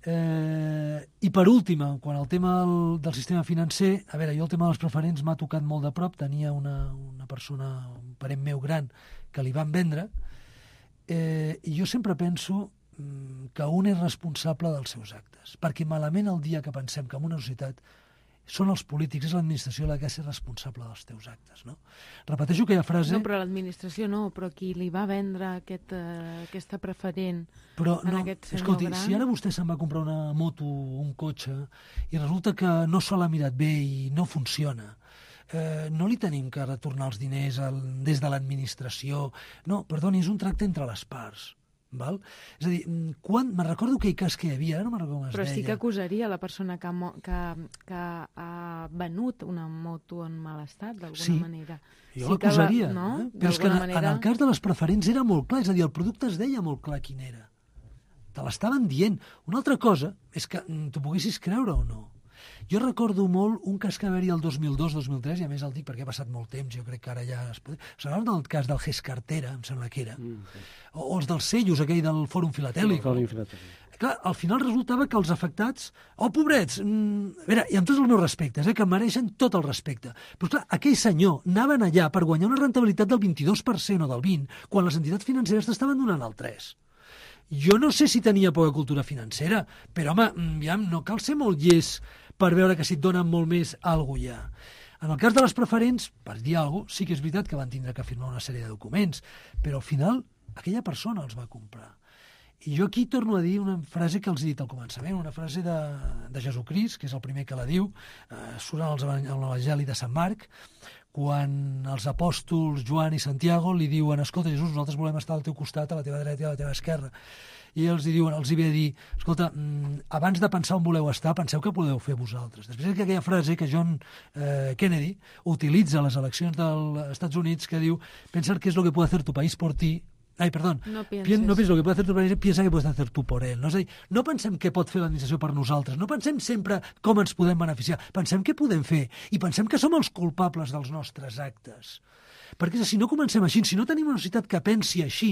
I per última, quan el tema del sistema financer, a veure, jo el tema dels preferents m'ha tocat molt de prop, tenia una persona, un parent meu gran, que li van vendre, i jo sempre penso que un és responsable dels seus actes, perquè malament el dia que pensem que en una societat són els polítics, és l'administració la que ha de ser responsable dels teus actes, no? Repeteixo aquella frase... No, però l'administració no, però qui li va vendre aquesta preferent aquest senyor escolti, gran... si ara vostè se'n va comprar una moto, un cotxe, i resulta que no se l'ha mirat bé i no funciona, no li tenim que retornar els diners des de l'administració. No, perdoni, és un tracte entre les parts. Val? És a dir, me'n recordo aquell cas que hi havia, no me'n recordo com es Però deia. sí que acusaria la persona que ha venut una moto en mal estat, d'alguna manera. Jo l'acusaria, no? Però és que en el cas de les preferents era molt clar, és a dir, el producte es deia molt clar quin era. Te l'estaven dient. Una altra cosa és que t'ho poguessis creure o no. Jo recordo molt un cas que va haver-hi el 2002-2003, i a més el dic perquè ha passat molt temps, jo crec que ara ja es pot... S'agrada del cas del GES Cartera, em sembla que era, o els dels sellos, aquell del Fòrum Filatèlic. Clar, al final resultava que els afectats... Oh, pobrets! A veure, i amb tots els meus respectes, que mereixen tot el respecte. Però clar, aquell senyor anaven allà per guanyar una rentabilitat del 22% o del 20%, quan les entitats financeres t'estaven donant el 3%. Jo no sé si tenia poca cultura financera, però, home, ja no cal ser molt llest per veure que si et donen molt més, alguna hi ha. En el cas de les preferents, per dir alguna cosa, sí que és veritat que van tindre que firmar una sèrie de documents, però al final aquella persona els va comprar. I jo aquí torno a dir una frase que els he dit al començament, una frase de Jesucrist, que és el primer que la diu, surt en l'Evangeli de Sant Marc, quan els apòstols Joan i Santiago li diuen: escolta, Jesús, nosaltres volem estar al teu costat, a la teva dreta i a la teva esquerra. I els hi ve a dir: escolta, abans de pensar on voleu estar, penseu què podeu fer vosaltres. Després que aquella frase que John Kennedy utilitza a les eleccions dels Estats Units, que diu: pensa qué es lo que puede hacer tu país por ti. Ai, perdó. No pienses lo que puede hacer tu país, piensa que puedes hacer tu por él. No? És a dir, no pensem què pot fer l'administració per nosaltres, no pensem sempre com ens podem beneficiar, pensem què podem fer i pensem que som els culpables dels nostres actes. Perquè si no comencem així, si no tenim una societat que pensi així,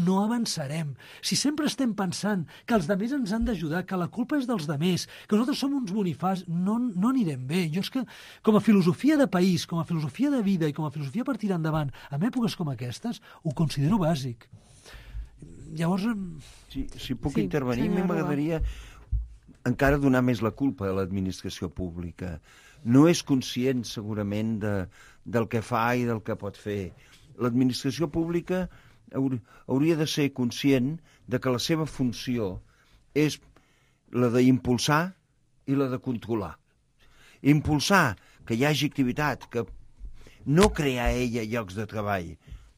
no avançarem. Si sempre estem pensant que els demés ens han d'ajudar, que la culpa és dels demés, que nosaltres som uns bonifats, no anirem bé. Jo és que, com a filosofia de país, com a filosofia de vida i com a filosofia per tirar endavant, en èpoques com aquestes, ho considero bàsic. Llavors... Si puc intervenir, a mi m'agradaria encara donar més la culpa a l'administració pública. No és conscient, segurament, del que fa i del que pot fer. L'administració pública hauria de ser conscient de que la seva funció és la d'impulsar i la de controlar. Impulsar que hi hagi activitat, que no crear ella llocs de treball.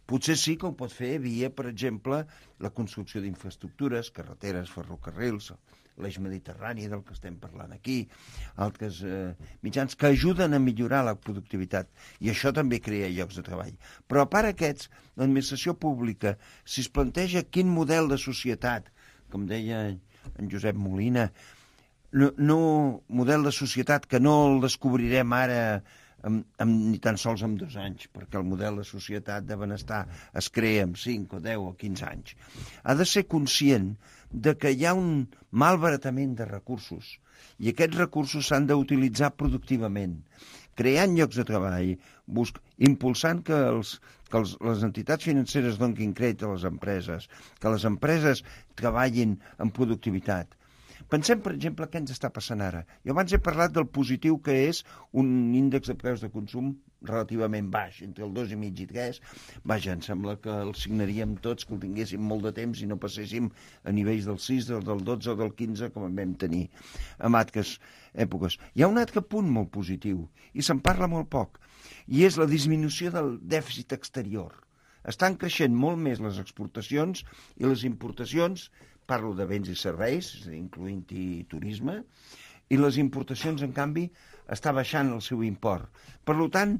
Potser sí que ho pot fer via, per exemple, la construcció d'infraestructures, carreteres, ferrocarrils, l'eix mediterrani del que estem parlant aquí, altres mitjans que ajuden a millorar la productivitat, i això també crea llocs de treball. Però a part d'aquests, l'administració pública, si es planteja quin model de societat, com deia en Josep Molina, no model de societat que no el descobrirem ara ni tan sols en 2 anys, perquè el model de societat de benestar es crea en 5 o 10 o 15 anys. Ha de ser conscient de que hi ha un malbaratament de recursos i aquests recursos s'han d'utilitzar productivament, creant llocs de treball, impulsant que les entitats financeres donin crèdit a les empreses, que les empreses treballin en productivitat. Pensem, per exemple, què ens està passant ara. Jo abans he parlat del positiu que és un índex de preus de consum relativament baix, entre el 2,5 i 3. Vaja, em sembla que el signaríem tots, que el tinguéssim molt de temps i no passéssim a nivells del 6, del 12 o del 15, com vam tenir en altres èpoques. Hi ha un altre punt molt positiu, i se'n parla molt poc, i és la disminució del dèficit exterior. Estan creixent molt més les exportacions i les importacions, parlo de béns i serveis, incloent-hi turisme, i les importacions, en canvi, està baixant el seu import. Per tant,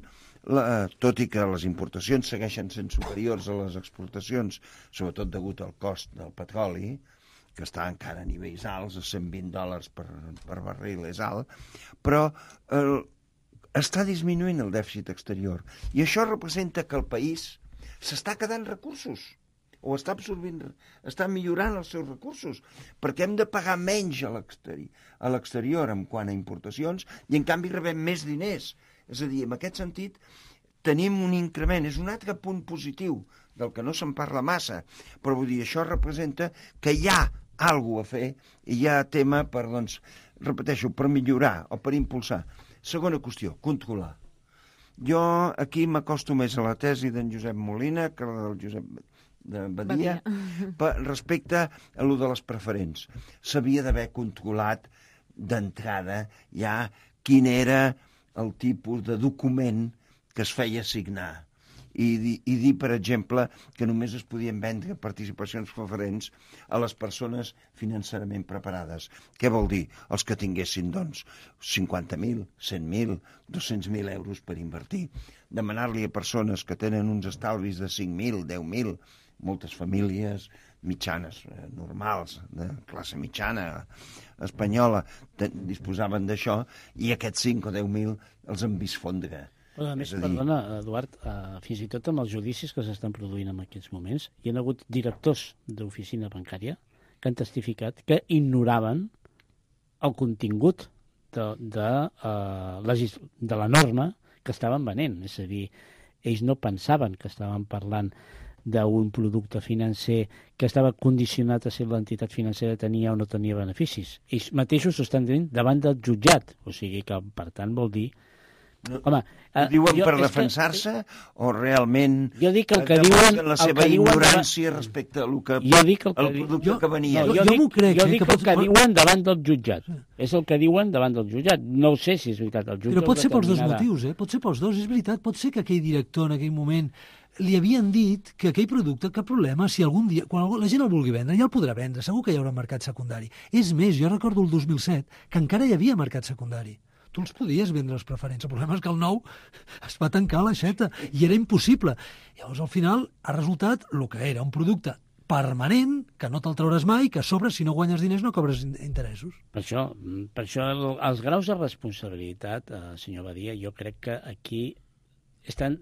tot i que les importacions segueixen sent superiors a les exportacions, sobretot degut al cost del petroli, que està encara a nivells alts, a $120 per barril és alt, però està disminuint el dèficit exterior. I això representa que el país s'està quedant recursos. o està absorbint, està millorant els seus recursos, perquè hem de pagar menys a l'exterior en quant a importacions i en canvi rebem més diners. És a dir, en aquest sentit tenim un increment, és un altre punt positiu del que no se'n parla massa, però vull dir, això representa que hi ha alguna a fer i hi ha tema per, doncs, repeteixo, per millorar o per impulsar. Segona qüestió, controlar. Jo aquí m'acosto més a la tesi d'en Josep Molina que la del Josep de Badia respecte a lo de les preferents. S'havia d'haver controlat d'entrada ja quin era el tipus de document que es feia signar i dir, per exemple, que només es podien vendre participacions preferents a les persones financerament preparades. Què vol dir? Els que tinguessin, doncs, 50.000, 100.000, 200.000 euros per invertir. Demanar-li a persones que tenen uns estalvis de 5.000, 10.000, moltes famílies mitjanes, normals, de classe mitjana espanyola, disposaven d'això, i aquests 5 o 10.000 els han vist fondre. A més, perdona, Eduard, fins i tot amb els judicis que s'estan produint en aquests moments, hi ha hagut directors d'oficina bancària que han testificat que ignoraven el contingut de la norma que estaven venent. És a dir, ells no pensaven que estaven parlant d'un producte financer que estava condicionat a si l'entitat financera tenia o no tenia beneficis. Ells mateixos ho estan dient davant del jutjat. O sigui que, per tant, vol dir... Home, ho diuen per defensar-se o realment jo dic el que diuen, la seva ignorància respecte al producte que venia? Jo dic el que diuen davant del jutjat. És el que diuen davant del jutjat. No ho sé si és veritat. El jutge però pot ser pels dos motius, pot ser pels dos. És veritat, pot ser que aquell director en aquell moment li havien dit que aquell producte, cap problema, si algun dia, quan la gent el vulgui vendre, ja el podrà vendre, segur que hi haurà mercat secundari. És més, jo recordo el 2007, que encara hi havia mercat secundari. Tu els podies vendre els preferents. El problema és que el nou es va tancar l'aixeta i era impossible. Llavors, al final, ha resultat el que era, un producte permanent, que no te'l trauràs mai, que a sobre, si no guanyes diners, no cobres interessos. Per això els graus de responsabilitat, senyor Badia, jo crec que aquí estan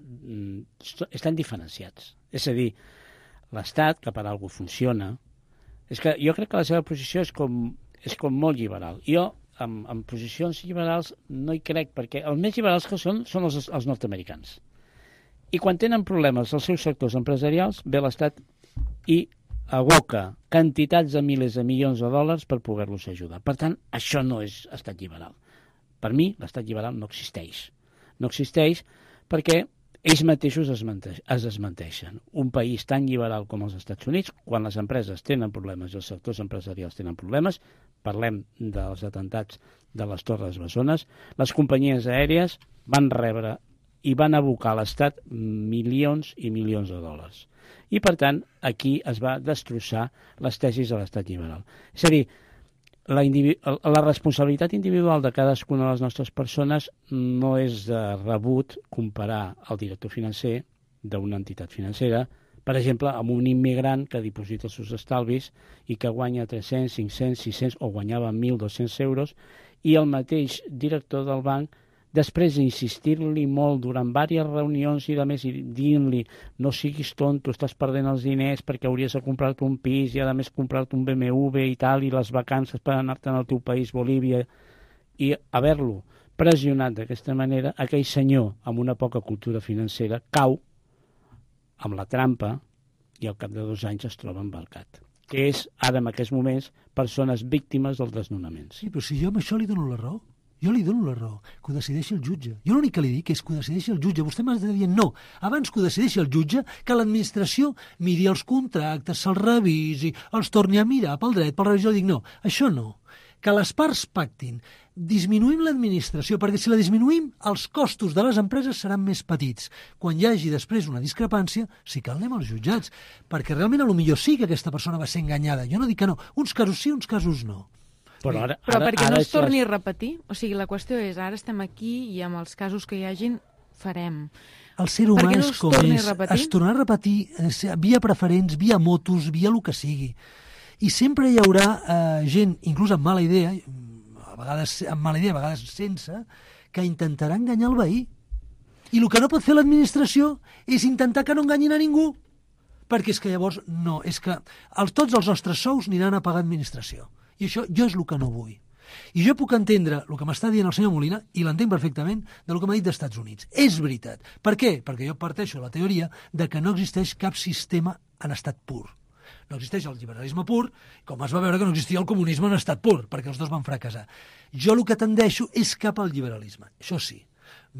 diferenciats. És a dir, l'Estat, que per alguna cosa funciona, és que jo crec que la seva posició és com molt liberal. Jo, en posicions liberals no hi crec, perquè els més liberals que són els nord-americans. I quan tenen problemes als seus sectors empresarials, ve l'Estat i aboca quantitats de milers de milions de dòlars per poder-los ajudar. Per tant, això no és estat liberal. Per mi, l'estat liberal no existeix. No existeix perquè ells mateixos es desmenteixen. Un país tan liberal com els Estats Units, quan les empreses tenen problemes i els sectors empresarials tenen problemes, parlem dels atentats de les Torres Bessones, les companyies aèries van rebre i van abocar a l'Estat milions i milions de dòlars. I, per tant, aquí es va destrossar les tesis de l'estat liberal. És a dir, la responsabilitat individual de cadascuna de les nostres persones no és de rebut comparar el director financer d'una entitat financera, per exemple, amb un immigrant que diposita els seus estalvis i que guanya 300, 500, 600 o guanyava 1.200 euros i el mateix director del banc, després d'insistir-li molt durant diverses reunions i a més dient-li no siguis tonto, estàs perdent els diners perquè hauries de comprar-te un pis i a més comprar-te un BMW i tal, i les vacances per anar-te'n al teu país, Bolívia, i haver-lo pressionat d'aquesta manera, aquell senyor amb una poca cultura financera cau amb la trampa i al cap de 2 anys es troba embarcat, que és, ara en aquests moments, persones víctimes dels desnonaments. Sí, però si jo amb això li dono la raó. Jo li dono la raó, que ho decideixi el jutge. Jo l'únic que li dic és que ho decideixi el jutge. Vostè m'ha de dir no. Abans que ho decideixi el jutge, que l'administració miri els contractes, se'ls revisi, els torni a mirar pel dret, pel revés. Jo dic no, això no. Que les parts pactin. Disminuïm l'administració, perquè si la disminuïm, els costos de les empreses seran més petits. Quan hi hagi després una discrepància, sí que anem als jutjats, perquè realment potser sí que aquesta persona va ser enganyada. Jo no dic que no. Uns casos sí, uns casos no. Però perquè no es torni a repetir, o sigui, la qüestió és, ara estem aquí i amb els casos que hi hagin farem. El ser humà és com és, es tornarà a repetir via preferents, via motos, via el que sigui. I sempre hi haurà gent, inclús amb mala idea, a vegades amb mala idea, a vegades sense, que intentarà enganyar el veí. I el que no pot fer l'administració és intentar que no enganyin a ningú, perquè és que llavors no, és que tots els nostres sous aniran a pagar administració. I això jo és el que no vull. I jo puc entendre el que m'està dient el senyor Molina, i l'entenc perfectament, del que m'ha dit dels Estats Units. És veritat. Per què? Perquè jo parteixo de la teoria de que no existeix cap sistema en estat pur. No existeix el liberalisme pur, com es va veure que no existia el comunisme en estat pur, perquè els dos van fracassar. Jo el que tendeixo és cap al liberalisme, això sí.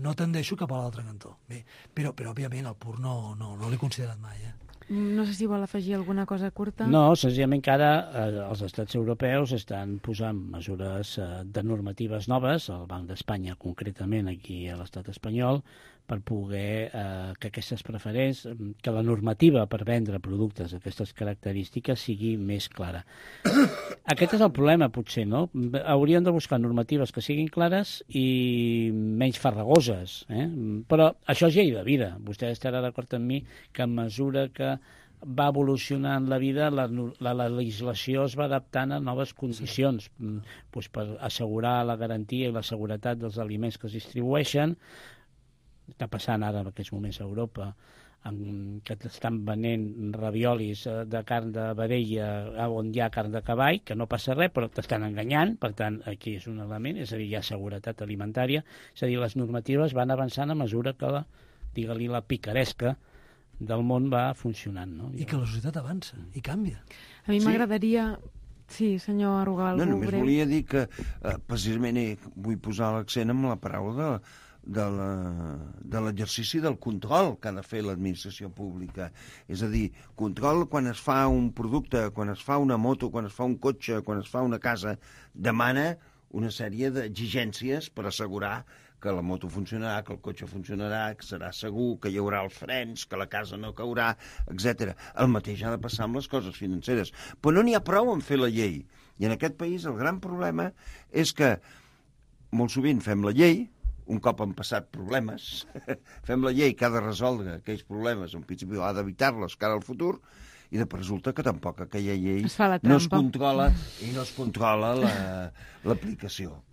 No tendeixo cap a l'altre cantó. Bé, però òbviament, el pur no l'he considerat mai, No sé si vol afegir alguna cosa curta. No, senzillament que ara els estats europeus estan posant mesures de normatives noves, el Banc d'Espanya concretament aquí a l'estat espanyol, per poder que aquestes preferents, que la normativa per vendre productes d'aquestes característiques sigui més clara. Aquest és el problema, potser, no? Hauríem de buscar normatives que siguin clares i menys farragoses, Però això és llei de vida. Vostè estarà d'acord amb mi que a mesura que va evolucionant la vida, la legislació es va adaptant a noves condicions, doncs per assegurar la garantia i la seguretat dels aliments que es distribueixen. Està passant ara en aquests moments a Europa, que estan venent raviolis de carn de vedella on hi ha carn de cavall, que no passa res, però t'estan enganyant, per tant, aquí és un element, és a dir, hi ha seguretat alimentària, és a dir, les normatives van avançant a mesura que la picaresca del món va funcionant. No? I que la societat avança i canvia. A mi m'agradaria... Sí, senyor Arrugal, no, només volia dir que precisament vull posar l'accent en la paraula de l'exercici del control que ha de fer l'administració pública. És a dir, control quan es fa un producte, quan es fa una moto, quan es fa un cotxe, quan es fa una casa, demana una sèrie d'exigències per assegurar que la moto funcionarà, que el cotxe funcionarà, que serà segur, que hi haurà els frens, que la casa no caurà, etc. El mateix ha de passar amb les coses financeres. Però no n'hi ha prou en fer la llei. I en aquest país el gran problema és que molt sovint fem la llei, un cop han passat problemes, fem la llei que ha de resoldre aquells problemes, en principi ha d'evitar-los cara al futur, i després resulta que tampoc aquella llei no es controla i no es controla l'aplicació.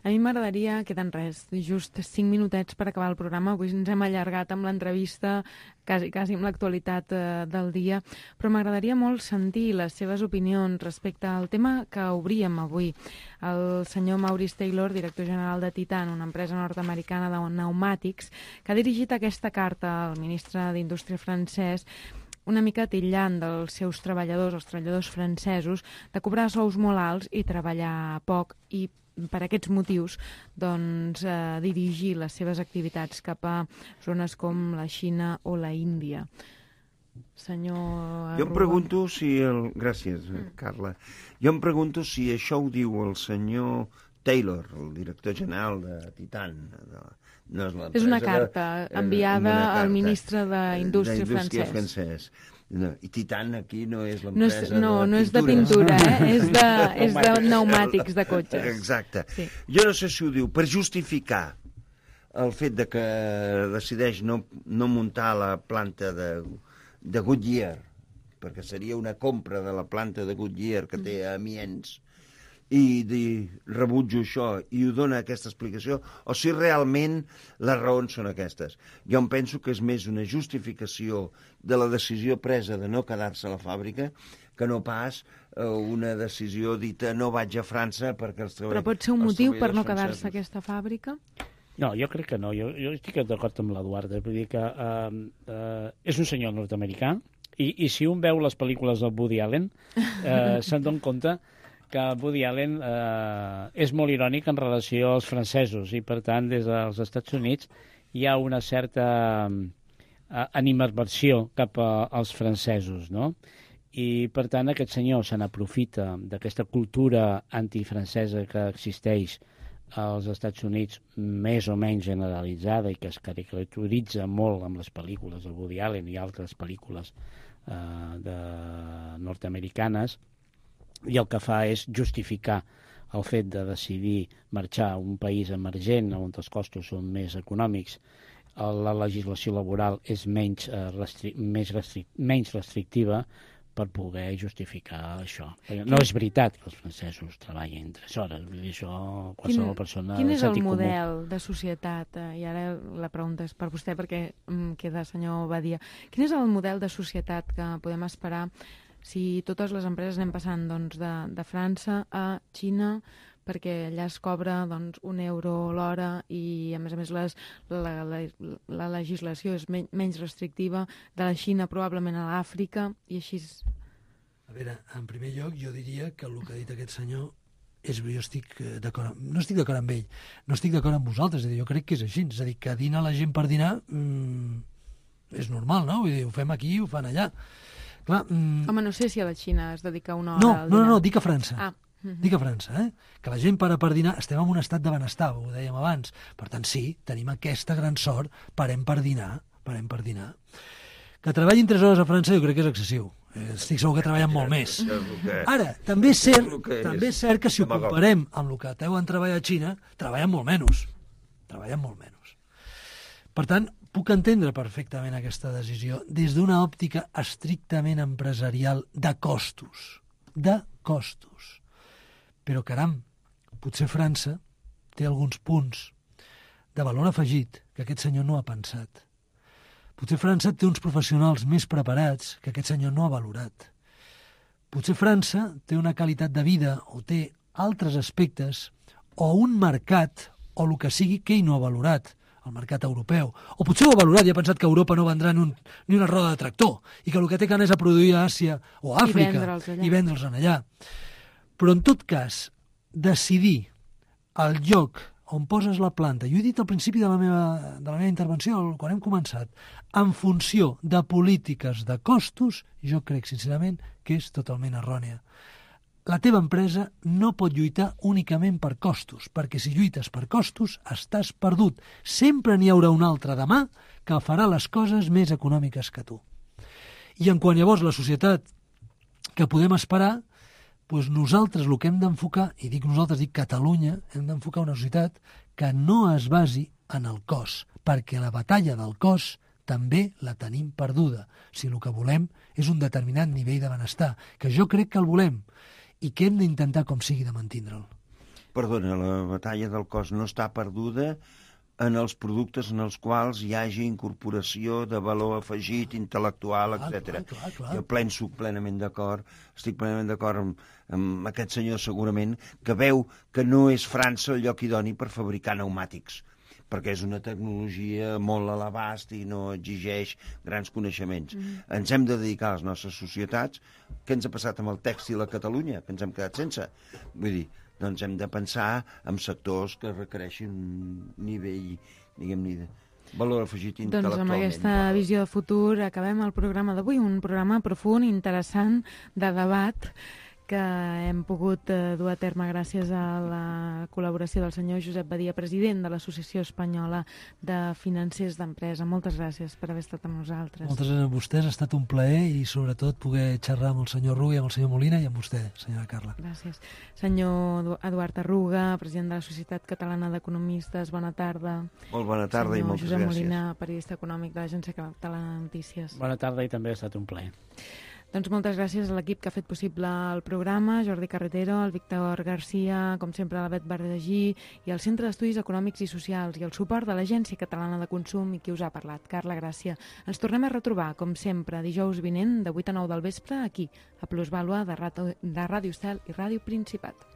A mi m'agradaria, queden res, just 5 minutets per acabar el programa. Avui ens hem allargat amb l'entrevista, quasi amb l'actualitat del dia, però m'agradaria molt sentir les seves opinions respecte al tema que obríem avui. El senyor Maurice Taylor, director general de Titan, una empresa nord-americana de pneumàtics, que ha dirigit aquesta carta al ministre d'Indústria francès, una mica titllant dels seus treballadors, els treballadors francesos, de cobrar sous molt alts i treballar poc, i per aquests motius doncs, dirigir les seves activitats cap a zones com la Xina o la Índia. Senyor... Jo em pregunto si... Gràcies, Carla. Jo em pregunto si això ho diu el senyor Taylor, el director general de Titan. No és una carta enviada al ministre d'Indústria francès. No, i Titan aquí no és l'empresa no és de pintura, és de pneumàtics de cotxes. Exacte. Sí. Jo no sé si ho diu per justificar el fet de que decideix no muntar la planta de Goodyear, perquè seria una compra de la planta de Goodyear que té a Amiens, i rebutjo això i ho dona aquesta explicació, o si realment les raons són aquestes. Jo em penso que és més una justificació de la decisió presa de no quedar-se a la fàbrica que no pas una decisió dita no vaig a França perquè els treballadors... Però pot ser un motiu per no quedar-se a aquesta fàbrica? No, jo crec que no. Jo estic d'acord amb l'Eduard. Vull dir que és un senyor nord-americà i si un veu les pel·lícules del Woody Allen se'n dona compte que Woody Allen és molt irònic en relació als francesos i, per tant, des dels Estats Units hi ha una certa animadversió cap als francesos, no? I, per tant, aquest senyor se n'aprofita d'aquesta cultura antifrancesa que existeix als Estats Units, més o menys generalitzada i que es caracteritza molt amb les pel·lícules de Woody Allen i altres pel·lícules nord-americanes, i el que fa és justificar el fet de decidir marxar a un país emergent on els costos són més econòmics, la legislació laboral és menys restrictiva, per poder justificar això. No és veritat que els francesos treballin 3 hores, vull dir, això qualsevol persona... Quin és el sentit comú. model de societat? I ara la pregunta és per vostè, perquè queda, senyor Badia. Quin és el model de societat que podem esperar si totes les empreses anem passant doncs, de França a Xina, perquè allà es cobra doncs, €1 l'hora i, a més, la legislació és menys restrictiva, de la Xina probablement a l'Àfrica, i així... A veure, en primer lloc, jo diria que el que ha dit aquest senyor jo estic d'acord, no estic d'acord amb ell, no estic d'acord amb vosaltres, és a dir, jo crec que és així, és a dir, que dinar la gent per dinar és normal, no? Vull dir, ho fem aquí i ho fan allà. Clar, Home, no sé si a la Xina es dedica una hora al dinar. No, dic a França. Ah. Dic a França, que la gent para per dinar, estem en un estat de benestar, ho dèiem abans, per tant sí, tenim aquesta gran sort, parem per dinar. Que treballin 3 hores a França jo crec que és excessiu, estic segur que treballen molt més. Ara, també és cert que si ho comparem amb el que deuen treballar a Xina, treballen molt menys. Per tant, puc entendre perfectament aquesta decisió des d'una òptica estrictament empresarial de costos. Però, caram, potser França té alguns punts de valor afegit que aquest senyor no ha pensat. Potser França té uns professionals més preparats que aquest senyor no ha valorat. Potser França té una qualitat de vida o té altres aspectes o un mercat o el que sigui que ell no ha valorat, el mercat europeu. O potser ho ha valorat i ha pensat que a Europa no vendrà ni una roda de tractor i que el que té gana és a produir a Àsia o a Àfrica i vendre'ls allà. Però, en tot cas, decidir el lloc on poses la planta, jo he dit al principi de la meva intervenció, quan hem començat, en funció de polítiques de costos, jo crec, sincerament, que és totalment errònia. La teva empresa no pot lluitar únicament per costos, perquè si lluites per costos, estàs perdut. Sempre n'hi haurà un altre demà que farà les coses més econòmiques que tu. I en quant llavors la societat que podem esperar, doncs nosaltres el que hem d'enfocar, i dic nosaltres, dic Catalunya, hem d'enfocar una societat que no es basi en el cost, perquè la batalla del cost també la tenim perduda, si el que volem és un determinat nivell de benestar, que jo crec que el volem, i que hem d'intentar com sigui de mantindre'l. Perdona, la batalla del cost no està perduda en els productes en els quals hi hagi incorporació de valor afegit, intel·lectual, etc. Jo estic plenament d'acord amb aquest senyor segurament que veu que no és França el lloc idoni per fabricar pneumàtics, perquè és una tecnologia molt a l'abast i no exigeix grans coneixements. Ens hem de dedicar a les nostres societats. Què ens ha passat amb el tèxtil a Catalunya, que ens hem quedat sense? Vull dir, doncs hem de pensar en sectors que requereixin un nivell, diguem-ne, de valor afegit intel·lectualment. Doncs amb aquesta visió de futur acabem el programa d'avui, un programa profund, interessant, de debat, que hem pogut dur a terme gràcies a la col·laboració del senyor Josep Badia, president de l'Associació Espanyola de Financers d'Empresa. Moltes gràcies per haver estat amb nosaltres. Moltes gràcies a vostès, ha estat un plaer i sobretot poder xerrar amb el senyor Ruga i amb el senyor Molina i amb vostè, senyora Carla. Gràcies. Senyor Eduard Arruga, president de la Societat Catalana d'Economistes, bona tarda. Molt bona tarda i moltes gràcies. Senyor Josep Molina, periodista econòmic de l'Agència Catalana de Notícies. Bona tarda i també ha estat un plaer. Doncs moltes gràcies a l'equip que ha fet possible el programa, Jordi Carretero, el Víctor Garcia, com sempre la Bet Verdagí, i el Centre d'Estudis Econòmics i Socials, i el suport de l'Agència Catalana de Consum i qui us ha parlat, Carla Gràcia. Ens tornem a retrobar, com sempre, dijous vinent, de 8 a 9 del vespre, aquí, a Plusvàlua de Ràdio Estel i Ràdio Principat.